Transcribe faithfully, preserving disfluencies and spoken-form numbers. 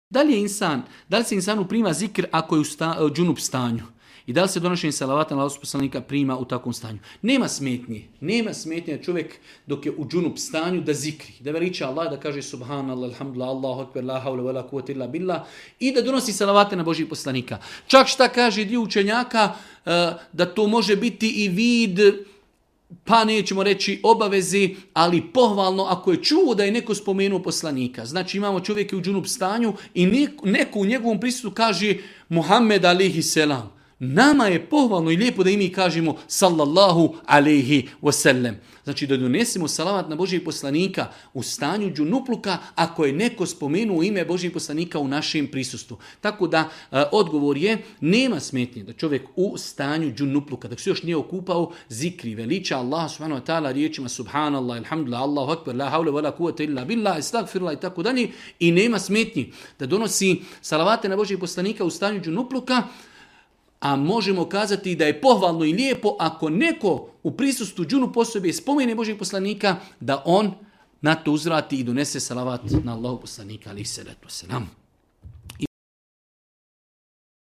Da li je insan, da li se insanu prima zikr ako je u sta, džunup stanju? I da li se donošenje salavata na Allahov poslanika prima u takvom stanju? Nema smetnje. Nema smetnje da čovjek dok je u džunup stanju da zikri. Da veliča Allah, da kaže subhanallah, alhamdulillah, Allahu akbar, la havla wala kuvvete illa billah i da donosi salavate na Božijeg poslanika. Čak šta kaže dio učenjaka da to može biti i vid, pa nećemo reći obavezi, ali pohvalno ako je čuo da je neko spomenuo poslanika. Znači imamo čovjeka u džunup stanju i neko u njegovom prisutstvu kaže Muhammed alejhi selam. Nama je pohvalno i lijepo da i mi kažemo sallallahu alejhi wasallam. Znači da donesemo salavat na Božijeg poslanika u stanju džunupluka ako je neko spomenuo ime Božijeg poslanika u našem prisustvu. Tako da e, odgovor je nema smetnje da čovjek u stanju džunupluka, dok se još nije okupao, zikri, veliča Allah subhanahu wa ta'ala riječima subhanallah, alhamdulillah, Allahu akbar, la havla wala kuvvete illa billah, estagfirullah i tako dalje. I nema smetnji da donosi salavate na Božijeg poslanika u stanju džunupluka. A možemo kazati da je pohvalno i lijepo ako neko u prisustvu džunu posobe spomene Božijeg poslanika, da on na to uzvrati i donese salavat na Allahov poslanika alejhi salatu vesselam.